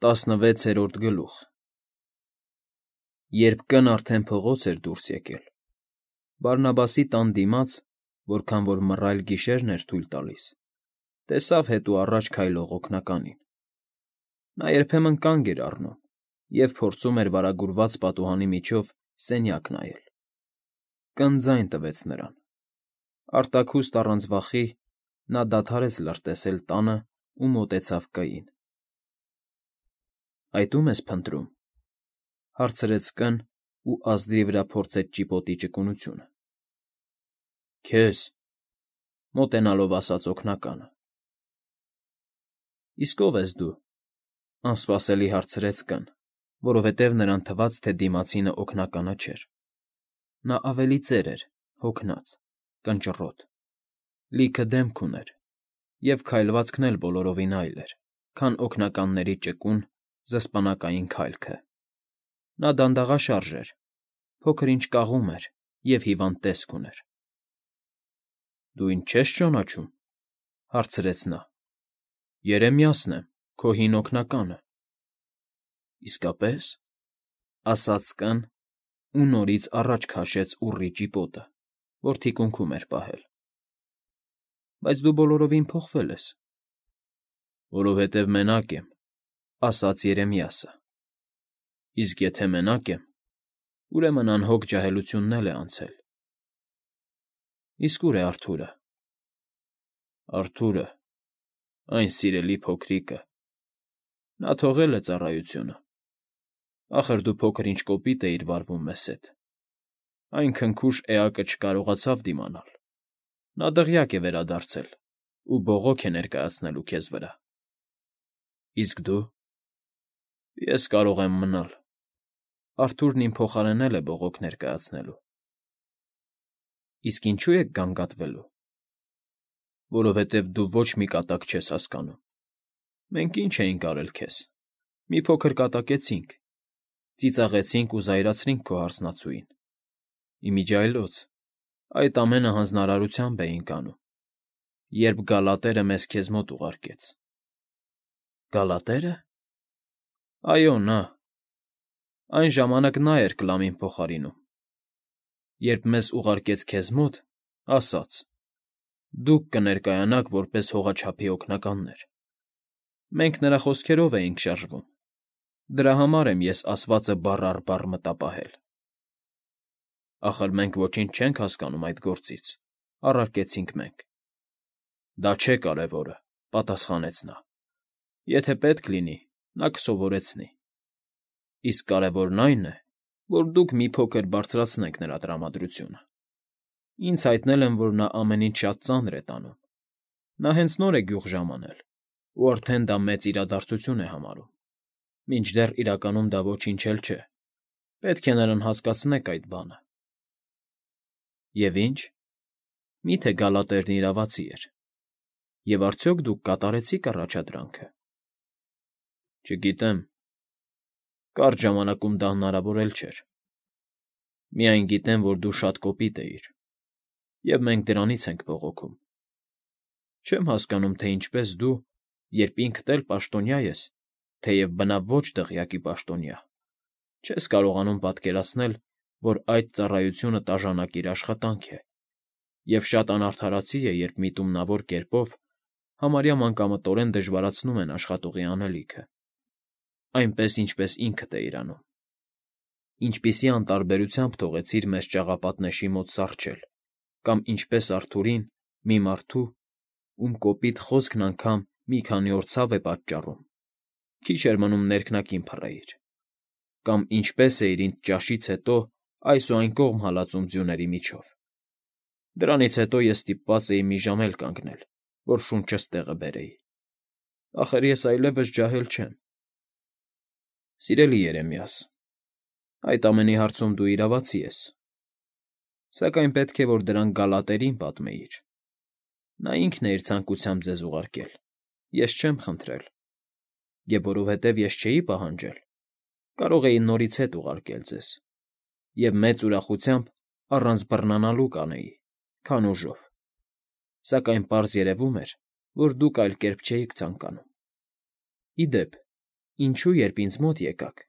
16-րդ գլուխ Երբ կն արդեն փողոց էր դուրս եկել, Բարնաբասի տան դիմաց, որքան որ մռայլ գիշերն էր թույլ տալիս, տեսավ հետո առաջ քայլող օգնականին. նա երբեմն կանգ էր առնում և փորձում էր վարագուրված պատուհանի միջով սենյակ նայել. կն ձայն տվեց նրան. արտաքուստ առանց վախի նա դադարեց լրտեսել տանը ու մոտեցավ կային. Այդ ո՞ւմ ես փնտրում,֊ հարցրեց կն ու ազդի վրա փորձեց ճիպոտի ճկունությունը։ Քեզ,֊ մոտենալով ասաց օգնականը։ Իսկ ո՞վ ես դու,֊ անսպասելի հարցրեց կն, որովհետև նրան թվաց, թե դիմացինը օգնականը չէր. նա ավելի ծեր էր, հոգնած, կնճռոտ, լիքը դեմք ուներ և քայլվածքն էլ բոլորովին այլ էր, քան օգնականների ճկուն, զսպանակային քայլքը. նա դանդաղաշարժ էր, փոքր֊ինչ կաղում էր և հիվանդ տեսք ուներ։ Դու ինձ չե՞ս ճանաչում,֊ հարցրեց նա։ Երեմիասն եմ, քո հին օգնականը։ Իսկապե՞ս,֊ ասաց կն ու նորից առաջ քաշեց ուռի ճիպոտը, որ թիկունքում էր պահել։ Բայց դու բոլորովին փոխվել ես։ Որովհետև մենակ եմ,֊ ասաց Երեմիասը։ Իսկ եթե մենակ եմ, ուրեմն անհոգ ջահելությունն էլ է անցել։ Իսկ ո՞ւր է Արթուրը։ Արթուրը, այն սիրելի փոքրիկը… Նա թողել է ծառայությունը։ Ախր դու փոքր֊ինչ կոպիտ էիր վարվում մեզ հետ։ Այն քնքուշ էակը չկարողացավ դիմանալ։ Նա դղյակ է վերադարձել ու բողոք է ներկայացնելու քեզ վրա։ Իսկ դու… Ես կարող եմ մնալ… Արթուրն իմ փոխարեն էլ է բողոք ներկայացնելու։ Իսկ ինչո՞ւ եք գանգատվելու։ Որովհետև դու ոչ մի կատակ չես հասկանում։ Մենք ինչ էինք արել քեզ… Մի փոքր կատակեցինք, ծիծաղեցինք ու զայրացրինք քո հարսնացուին։ Իմիջիայլոց, այդ ամենը հանձնարարությամբ էինք անում, երբ Գալատերը մեզ քեզ մոտ ուղարկեց։ Գալատե՞րը։ Այո, նա… Այն ժամանակ նա էր Կլամին փոխարինում։ Երբ մեզ ուղարկեց քեզ մոտ, ասաց. «Դուք կներկայանաք որպես հողաչափի օգնականներ»։ Մենք նրա խոսքերով էինք շարժվում։ Դրա համար եմ ես ասվածը բառ առ բառ մտապահել։ Ախր մենք ոչինչ չենք հասկանում այդ գործից,֊ առարկեցինք մենք։ Դա չէ կարևորը,֊ պատասխանեց նա։ Եթե պետք լինի, նա կսովորեցնի։ Իսկ կարևորն այն է, որ դուք մի փոքր բարձրացնեք նրա տրամադրությունը։ Ինձ հայտնել են, որ նա ամեն ինչ շատ ծանր է տանում։ Նա հենց նոր է գյուղ ժամանել ու արդեն դա մեծ իրադարձություն է համարում, մինչդեռ իրականում դա ոչինչ էլ չէ։ Պետք է նրան հասկացնեք այդ բանը։ Եվ ի՞նչ։ Մի՞թե Գալատերն իրավացի էր։ Եվ արդյոք դուք կատարեցի՞ք առաջադրանքը։ Չգիտեմ։ Կարճ ժամանակում դա հնարավոր էլ չէր։ Միայն գիտեմ, որ դու շատ կոպիտ էիր, և մենք դրանից ենք բողոքում։ Չեմ հասկանում, թե ինչպես դու, երբ ինքդ էլ պաշտոնյա ես, թեև բնավ ոչ դղյակի պաշտոնյա, չես կարողանում պատկերացնել, որ այդ ծառայությունը տաժանակիր աշխատանք է, և շատ անարդարացի է, երբ միտումնավոր կերպով, համարյա մանկամտորեն դժվարացնում են աշխատուղի անելիքը, այնպես, ինչպես ինքդ էիր անում։ Ինչպիսի անտարբերությամբ թողեցիր մեզ ճաղապատնեշի մոտ սառչել, կամ ինչպես Արթուրին, մի մարդու, ում կոպիտ խոսքն անգամ մի քանի օր ցավ է պատճառում, քիչ էր մնում ներքնակին փռեիր, կամ ինչպես էիր ինձ ճաշից հետո այս ու այն կողմ հալածում ձյուների միջով։ Դրանից հետո ես ստիպված էի մի ժամ էլ կանգնել, որ շունչս տեղը բերեի։ Ախր ես այլևս ջահել չեմ։ Սիրելի Երեմիաս, այդ ամենի հարցում դու իրավացի ես։ Սակայն պետք է, որ դրանք Գալատերին պատմեիր։ Նա ինքն է իր ցանկությամբ ձեզ ուղարկել, ես չեմ խնդրել։ Եվ որովհետև ես չէի պահանջել, կարող էի նորից հետ ուղարկել ձեզ, և մեծ ուրախությամբ առանց բռնանալու կանեի, քան ուժով։ Սակայն պարզ երևում էր, որ դուք այլ կերպ չէիք ցանկանում։ Ի դեպ, Ինչու, երբ ինձ մոտ եկաք,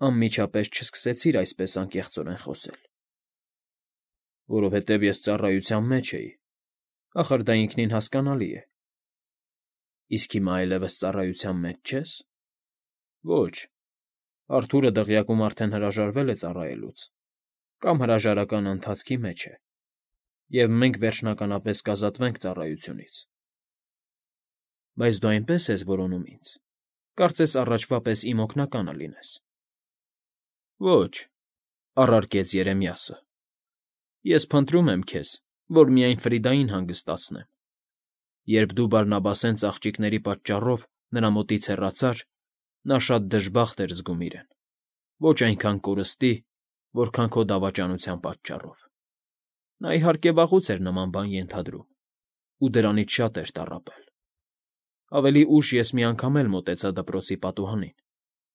անմիջապես չսկսեցիր այսպես անկեղծորեն խոսել։ Որովհետև ես ծառայության մեջ էի, ախր դա ինքնին հասկանալի է։ Իսկ հիմա այլևս ծառայության մեջ չես։ Ոչ, Արթուրը դղյակում արդեն հրաժարվել է ծառայելուց, կամ հրաժարական ընթացքի մեջ է, և մենք վերջնականապես կազատվենք ծառայությունից։ Բայց դու այնպես ես որոնում ինձ, կարծես առաջվա պես իմ օգնականը լինես։ Ոչ, առարկեց Երեմիասը, ես փնտրում եմ քեզ, որ միայն Ֆրիդային հանգստացնեմ։ Երբ դու Բարնաբասեն ծաղճիկների պատճառով նրա մոտից հեռացար, նա շատ դժբախտ էր զգում իրեն, ոչ այնքան կորստի, որքան քո դավաճանության պատճառով։ Նա իհարկե վաղուց էր նման բան ենթադրում, ու դրանից շատ էր տառապել։ Ավելի ուշ ես մի անգամ էլ մոտեցա դպրոցի պատուհանին,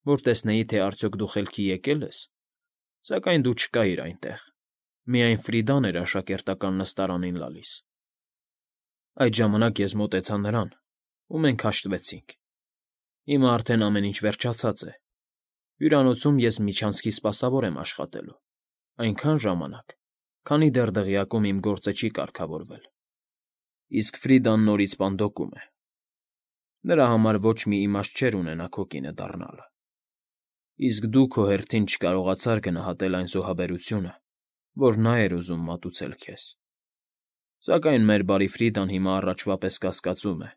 որ տեսնեի, թե արդյոք դու խելքի եկել ես, սակայն դու չկայիր այնտեղ, միայն Ֆրիդան էր աշակերտական նստարանին լալիս։ Այդ ժամանակ ես մոտեցա նրան, ու մենք հաշտվեցինք։ Հիմա արդեն ամեն ինչ վերջացած է։ Հյուրանոցում ես միջանցքի սպասավոր եմ աշխատելու, այնքան ժամանակ, քանի դեռ դղյակում իմ գործը չի կարգավորվել։ Իսկ Ֆրիդան նորից պանդոկում է։ Նրա համար ոչ մի իմաստ չէր ունենա քո կինը դառնալը։ Իսկ դու քո հերթին չկարողացար գնահատել այն զոհաբերությունը, որ նա էր ուզում մատուցել քեզ։ Սակայն մեր բարի Ֆրիդան հիմա առաջվա պես կասկածում է,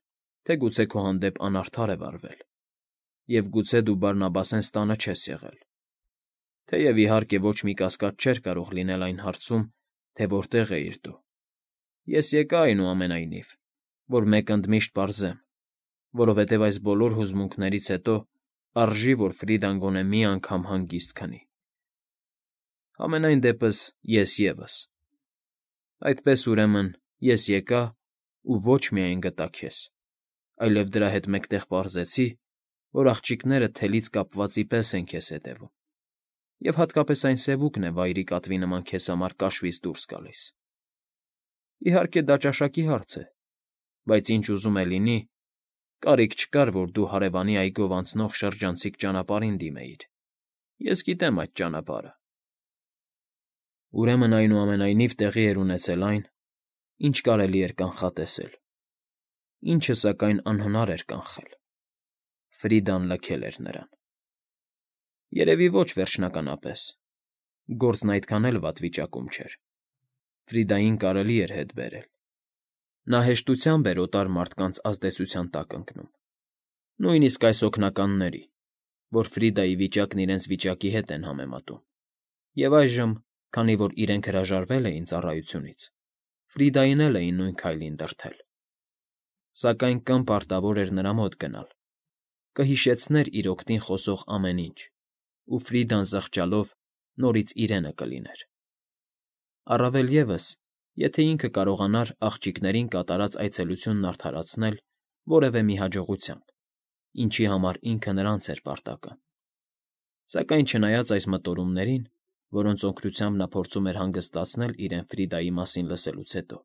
թե գուցե քո հանդեպ անարդար է վարվել, և գուցե դու Բարնաբասեն ստանը չես եղել։ Թեև իհարկե ոչ մի կասկած չէր կարող լինել այն հարցում, թե որտեղ էիր դու։ Ես եկա այնուամենայնիվ, որ մեկ ընդմիշտ պարզեմ, որովհետև այս բոլոր հուզմունքներից հետո արժի, որ Ֆրիդան գոնե մի անգամ հանգիստ քնի։ Համենայն դեպս ես ևս։ Այդպես ուրեմն ես եկա ու ոչ միայն գտա քեզ, այլև դրա հետ մեկտեղ պարզեցի, որ աղջիկները թելից կապվածի պես են քեզ հետևում, և հատկապես այն սևուկն է վայրի կատվի նման քեզ համար կաշվից դուրս գալիս։ Իհարկե դա ճաշակի հարց է, բայց ինչ ուզում է լինի, կարիք չկար, որ դու հարևանի այգով անցնող շրջանցիկ ճանապարհին դիմեիր։ Ես գիտեմ այդ ճանապարհը։ Ուրեմն այնուամենայնիվ տեղի էր ունեցել այն, ինչ կարելի էր կանխատեսել, ինչը սակայն անհնար էր կանխել։ Ֆրիդան լքել էր նրան։ Երևի ոչ վերջնականապես։ Գործն այդքան էլ վատ վիճակում չէր։ Ֆրիդային կարելի էր հետ բերել։ Նա հեշտությամբ էր օտար մարդկանց ազդեցության տակ ընկնում, նույնիսկ այս օգնականների, որ Ֆրիդայի վիճակն իրենց վիճակի հետ են համեմատում։ Եվ այժմ, քանի որ իրենք հրաժարվել էին ծառայությունից, Ֆրիդային էլ էին նույն քայլին դրդել։ Սակայն կն պարտավոր էր նրա մոտ գնալ, կհիշեցներ իր օգտին խոսող ամեն ինչ, ու Ֆրիդան զղջալով նորից իրենը կլիներ։ Առավել ևս, եթե ինքը կարողանար աղջիկներին կատարած այցելությունն արդարացնել որևէ մի հաջողությամբ, ինչի համար ինքը նրանց էր պարտական։ Սակայն չնայած այս մտորումներին, որոնց օգնությամբ նա փորձում էր հանգստացնել իրեն Ֆրիդայի մասին լսելուց հետո,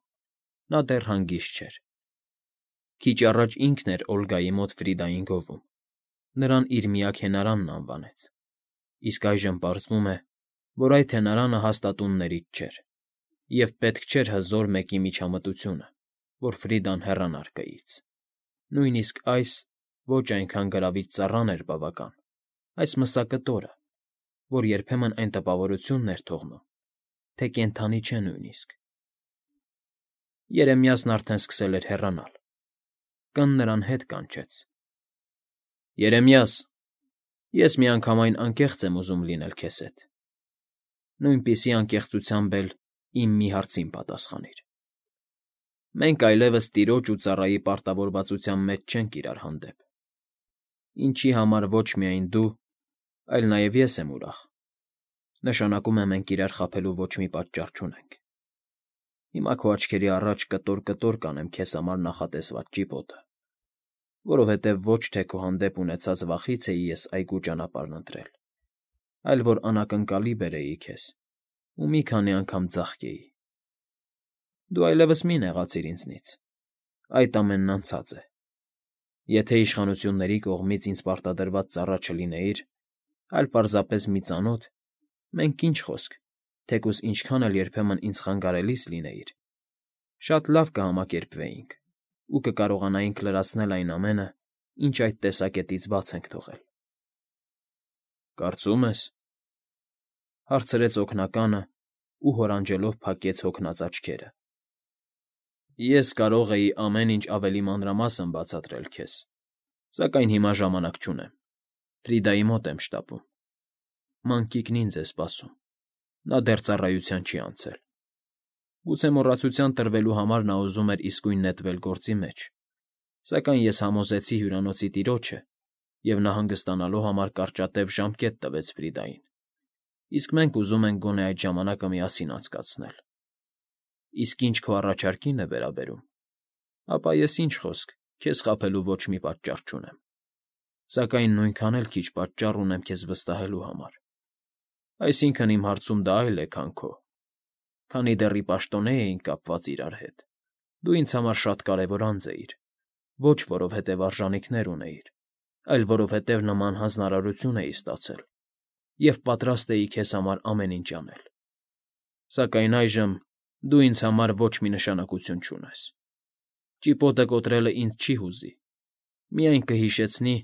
նա դեռ հանգիստ չէր։ Քիչ առաջ ինքն էր Օլգայի մոտ Ֆրիդային գովում, նրան իր միակ հենարանն անվանեց, իսկ այժմ պարզվում է, որ այդ հենարանը հաստատուններից չէր, և պետք չէր հզոր մեկի միջամտությունը, որ Ֆրիդան հեռանար կայից։ Նույնիսկ այս ոչ այնքան գրավիչ ծառան էր բավական, այս մսակտորը, որ երբեմն այն տպավորությունն էր թողնում, թե կենդանի չէ նույնիսկ։ Երեմիասն արդեն սկսել էր հեռանալ։ Կն նրան հետ կանչեց։ Երեմիաս, ես միանգամայն անկեղծ եմ ուզում լինել քեզ հետ։ Նույնպիսի անկեղծությամբ էլ իմ մի հարցին պատասխանիր։ Մենք այլևս տիրոջ ու ծառայի պարտավորվածության մեջ չենք իրար հանդեպ, ինչի համար ոչ միայն դու, այլ նաև ես եմ ուրախ։ Նշանակում է մենք իրար խաբելու ոչ մի պատճառ չունենք։ Հիմա քո աչքերի առաջ կտոր կանեմ քեզ համար նախատեսված ճիպոտը, որովհետև ոչ թե քո հանդեպ ունեցած վախից էի ես այգու ճանապարհն ընտրել, այլ որ անակնկալի բերեի քեզ ու մի քանի անգամ ձաղկեի։ Դու այլևս մի նեղացիր ինձնից, այդ ամենն անցած է։ Եթե իշխանությունների կողմից ինձ պարտադրված ծառա չլինեիր, այլ պարզապես մի ծանոթ, մենք ինչ խոսք, թեկուզ ինչքան էլ երբեմն ինձ խանգարելիս լինեիր, շատ լավ կհամակերպվեինք ու կկարողանայինք լրացնել այն ամենը, ինչ այդ տեսակետից բաց ենք թողել։ ֊ Կարծում ես,֊ հարցրեց օգնականը ու հորանջելով փակեց հոգնած աչքերը։ ֊ Ես կարող էի ամեն ինչ ավելի մանրամասն բացատրել քեզ, սակայն հիմա ժամանակ չունեմ, Ֆրիդայի մոտ եմ շտապում։ Մանկիկն ինձ է սպասում, նա դեռ ծառայության չի անցել։ Գուցե մոռացության տրվելու համար նա ուզում էր իսկույն նետվել գործի մեջ, սակայն ես համոզեցի հյուրանոցի տիրոջը, և նա հանգստանալու համար կարճատև ժամկետ տվեց Ֆրիդային, իսկ մենք ուզում ենք գոնե այդ ժամանակը միասին անցկացնել։ Իսկ ինչ քո առաջարկին է վերաբերում, ապա ես ինչ խոսք, քեզ խաբելու ոչ մի պատճառ չունեմ, սակայն նույնքան էլ քիչ պատճառ ունեմ քեզ վստահելու համար։ Այսինքն՝ իմ հարցում դա այլ է, քան քո։ Քանի դեռ ի պաշտոնե էինք կապված իրար հետ, դու ինձ համար շատ կարևոր անձ էիր, ոչ որովհետև արժանիքներ ունեիր, այլ որովհետև նման հանձնարարություն էի ստացել և պատրաստ էի քեզ համար ամեն ինչ անել։ Սակայն այժմ դու ինձ համար ոչ մի նշանակություն չունես։ Ճիպոտը կոտրելը ինձ չի հուզի, միայն կհիշեցնի,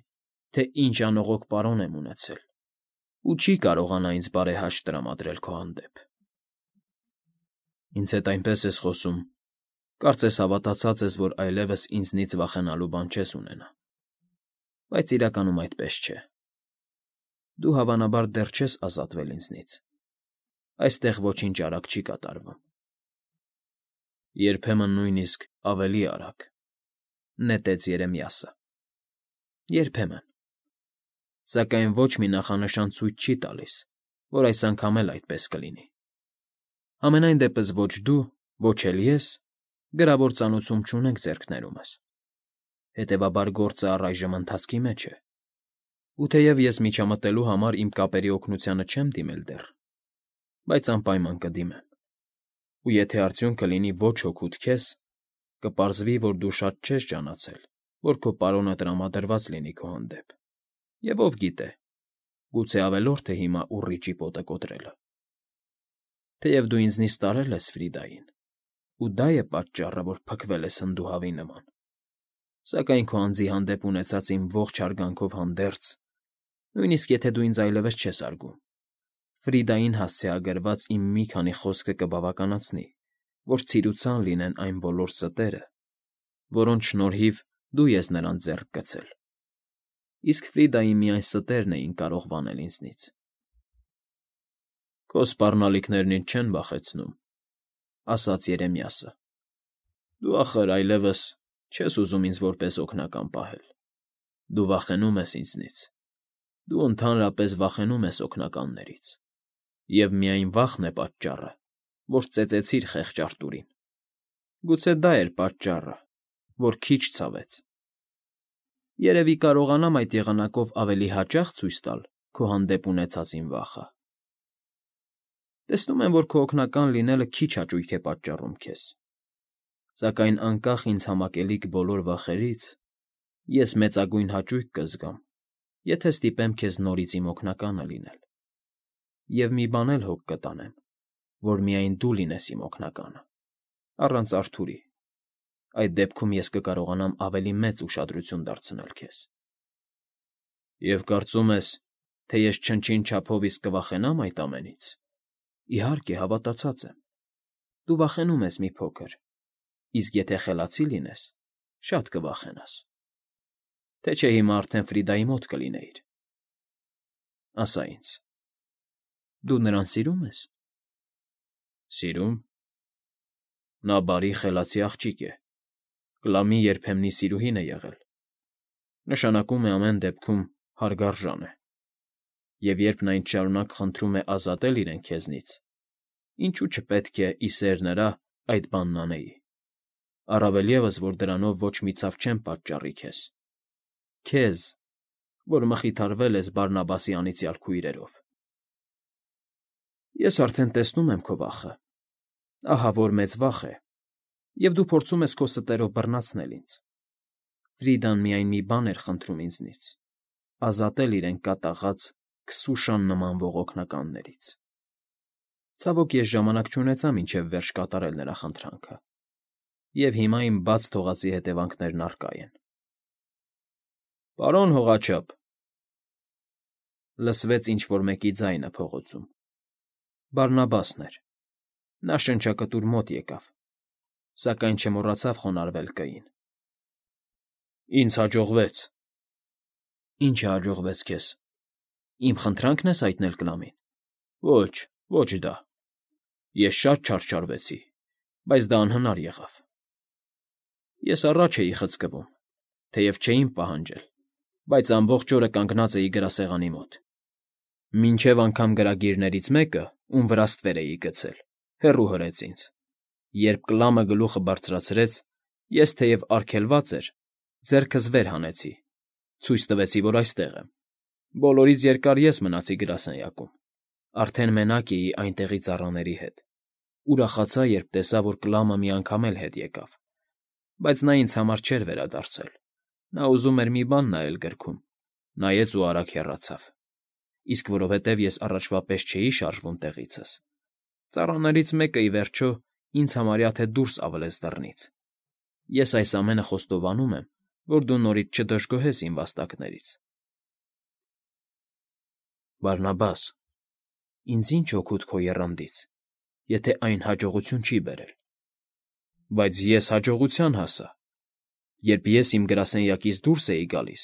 թե ինչ անողոք պարոն եմ ունեցել ու չի կարողանա ինձ բարեհաշտ տրամադրել քո հանդեպ։ Ինձ հետ այնպես ես խոսում, կարծես հավատացած ես, որ այլևս ինձնից վախենալու բան չես ունենա։ Բայց իրականում այդպես չէ։ Դու հավանաբար դեռ չես ազատվել ինձնից։ Այստեղ ոչինչ արագ չի կատարվում։ Երբեմն նույնիսկ ավելի արագ, նետեց Երեմիասը։ Երբեմն։ Սակայն ոչ մի նախանշան ցույց չի տալիս, որ այս անգամ էլ այդպես կլինի։ Համենայն դեպս ոչ դու, ոչ էլ ես գրավոր ծանուցում չունենք ձեռքներումս։ Հետևաբար գործը առայժմ ընթացքի մեջ է։ Ու թեև ես միջամտելու համար իմ կապերի օգնությանը չեմ դիմել դեռ, բայց անպայման կդիմեմ։ Ու եթե արդյունքը լինի ոչ հօգուտ քեզ, կպարզվի, որ դու շատ չես ջանացել, որ քո պարոնը տրամադրված լինի քո հանդեպ։ Եվ ով գիտե, գուցե ավելորդ է հիմա ուռի ճիպոտը կոտրելը։ Թեև դու ինձնից տարել ես Ֆրիդային, ու դա է պատճառը, որ փքվել ես հնդուհավի նման, սակայն քո անձի հանդեպ ունեցած իմ ողջ հարգանքով հանդերձ, նույնիսկ եթե դու ինձ այլևս չես արգում, Ֆրիդային հասցեագրված իմ մի քանի խոսքը կբավականացնի, որ ցիրուցան լինեն այն բոլոր ստերը, որոնց շնորհիվ դու ես նրան ձեռք գցել, իսկ Ֆրիդայի միայն ստերն էին կարող վանել ինձնից։ Քո սպառնալիքներն ինձ չեն վախեցնում, ասաց Երեմիասը։ Դու, ախր, այլևս չես ուզում ինձ որպես օգնական պահել։ Դու վախենում ես ինձնից։ Դու ընդհանրապես վախենում ես օգնականներից։ Եվ միայն վախն է պատճառը, որ ծեծեցիր խեղճ Արտուրին։ Գուցե դա էր պատճառը, որ քիչ ցավեց։ Երևի կարողանամ այդ եղանակով ավելի հաճախ ցույց տալ քո հանդեպ ունեցած իմ վախը։ Տեսնում եմ, որ քո օգնական լինելը քիչ հաճույք է պատճառում քեզ։ Սակայն անկախ ինձ համակելիք բոլոր վախերից, ես մեծագույն հաճույք կզգամ, եթե ստիպեմ քեզ նորից իմ օգնականը լինել։ Եվ մի բան էլ հոգ կտանեմ, որ միայն դու լինես իմ օգնականը, առանց Արթուրի։ Այդ դեպքում ես կկարողանամ ավելի մեծ ուշադրություն դարձնել քեզ։ Եվ կարծում ես, թե ես չնչին չափով իսկ կվախենամ այդ ամենից։ Իհարկե, հավատացած եմ։ Դու վախենում ես մի փոքր, իսկ եթե խելացի լինես, շատ կվախենաս։ Թե չէ հիմա արդեն Ֆրիդայի մոտ կլինեիր։ Ասա ինձ, դու նրան սիրում ես։ Սիրում։ Նա բարի, խելացի աղջիկ է, Կլամի երբեմնի սիրուհին է եղել։ Նշանակում է ամեն դեպքում հարգարժան է։ Եվ երբ նա ինձ շարունակ խնդրում է ազատել իրեն քեզնից, ինչու չպետք է, ի սեր նրա, այդ բանն անեի։ Առավել ևս, որ դրանով ոչ մի ցավ չեմ պատճառի քեզ։ Քեզ, որ մխիթարվել ես Բարնաբասի անիծյալ քույրերով։ Ես արդեն տեսնում եմ քո վախը։ Ահա որ մեծ վախ է, և դու փորձում ես քո ստերով բռնացնել ինձ։ Ֆրիդան միայն մի բան էր խնդրում ինձնից. ազատել իրեն կատաղած քսուշան նման ողոքնականներից։ Ցավոք, ես ժամանակ չունեցա մինչև վերջ կատարել նրա խնդրանքը, և հիմա իմ բաց թողածի հետևանքներն առկա են։ «Պարոն հողաչափ», լսվեց ինչ֊որ մեկի ձայնը փողոցում։ Բարնաբասն էր։ Նա շնչակտուր մոտ եկավ, սակայն չմոռացավ խոնարհվել կային։ «Ինձ հաջողվեց»։ «Ի՞նչը հաջողվեց քեզ։ Իմ խնդրանքն ես հայտնել Կլամին»։ «Ոչ, ոչ դա։ Ես շատ չարչարվեցի, բայց դա անհնար եղավ։ Ես առաջ էի խցկվում, թեև չէին պահանջել, բայց ամբողջ օրը կանգնած էի գրասեղանի մոտ։ Մինչև անգամ գրագիրներից մեկը, ում վրա ստվեր էի գցել, հեռու հրեց ինձ։ Երբ Կլամը գլուխը բարձրացրեց, ես, թեև արգելված էր, ձեռքս վեր հանեցի, ցույց տվեցի, որ այստեղ եմ։ Բոլորից երկար ես մնացի գրասենյակում, արդեն մենակ էի այնտեղի ծառաների հետ։ Ուրախացա, երբ տեսա, որ Կլամը մի անգամ էլ հետ եկավ, բայց նա ինձ համար չէր վերադարձել։ Նա ուզում էր մի բան նայել գրքում, նայեց ու արագ հեռացավ։ Իսկ որովհետև ես առաջվա պես չէի շարժվում տեղիցս, ծառաներից մեկը, ի վերջո, ինձ համարյա թե դուրս ավլեց դռնից։ Ես այս ամենը խոստովանում եմ, որ դու նորից չդժգոհես իմ վաստակներից։ Բարնաբաս, ինձ ինչ օգուտ քո եռանդից, եթե այն հաջողություն չի բերել։ Բայց ես հաջողության հասա, երբ ես իմ գրասենյակից դուրս էի գալիս,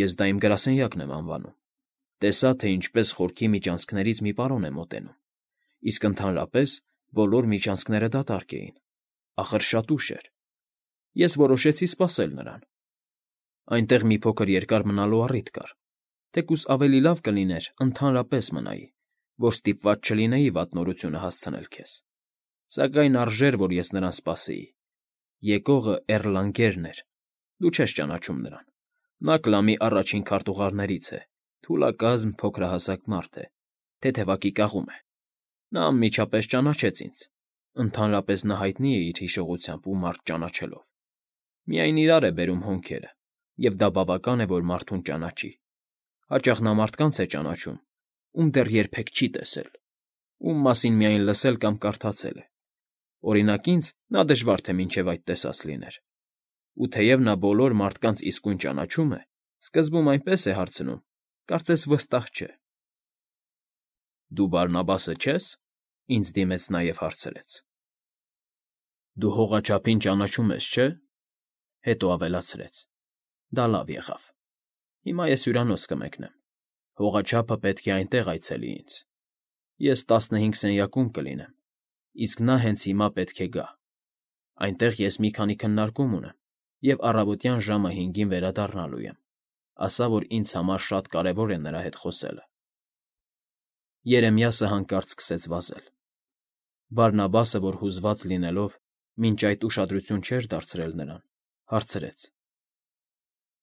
ես դա իմ գրասենյակն եմ անվանում, տեսա, թե ինչպես խորքի միջանցքներից մի պարոն է մոտենում, իսկ ընդհանրապես բոլոր միջանցքները դատարկ էին, ախր շատ ուշ էր։ Ես որոշեցի սպասել նրան։ Այնտեղ մի փոքր երկար մնալու առիթ կար, թեկուզ ավելի լավ կլիներ ընդհանրապես մնայի, որ ստիպված չլինեի վատ նորությունը հասցնել քեզ։ Սակայն արժեր, որ ես նրան սպասեի։ Եկողը Էռլանգերն էր, դու չես ճանաչում նրան։ Նա Կլամի առաջին քարտուղարներից է, թուլակազմ փոքրահասակ մարդ է, թեթևակի կաղում է։ Նա անմիջապես ճանաչեց ինձ, ընդհանրապես նա հայտնի է իր հիշողությամբ ու մարդ ճանաչելով։ Միայն իրար է բերում հոնքերը, և դա բավական է, որ մարդուն ճանաչի։ Հաճախ նա մարդկանց է ճանաչում, ում դեռ երբեք չի տեսել, ում մասին միայն լսել կամ կարդացել է։ Օրինակ ինձ նա դժվար թե մինչև այդ տեսած լիներ։ Ու թեև նա բոլոր մարդկանց իսկույն ճանաչում է, սկզբում այնպես է հարցնում, կարծես վստահ չէ։ Դու Բարնաբասը չե՞ս, ինձ դիմեց նաև հարցրեց։ Դու հողաչափին ճանաչում ես, չէ՞։ Հետո ավելացրեց. դա լավ եղավ։ Հիմա ես հյուրանոց կմեկնեմ։ Հողաչափը պետք է այնտեղ այցելի ինձ։ Ես 15 սենյակում կլինեմ, իսկ նա հենց հիմա պետք է գա։ Այնտեղ ես մի քանի քննարկում ունեմ և առավոտյան ժամը 5-ին վերադառնալու եմ, ասա, որ ինձ համար շատ կարևոր է նրա հետ խոսելը։ Երեմիասը հանկարծ սկսեց վազել։ Բարնաբասը, որ հուզված լինելով, մինչ այդ ուշադրություն չէր դարձրել նրան, հարցրեց.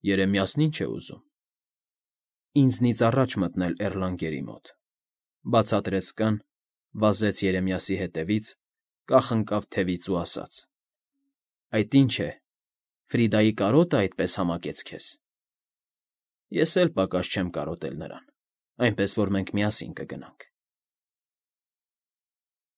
Երեմիասն ի՞նչ է ուզում։ Ինձնից առաջ մտնել Էռլանգերի մոտ, բացատրեց կան, վազեց Երեմիասի հետևից, կախնկավ թևից ու ասաց. Այդ ի՞նչ է, Ֆրիդայի կարոտը այդպես համակեց քեզ։ Ես էլ պակաս չեմ կարոտել նրան, այնպես որ մենք միասին կգնանք։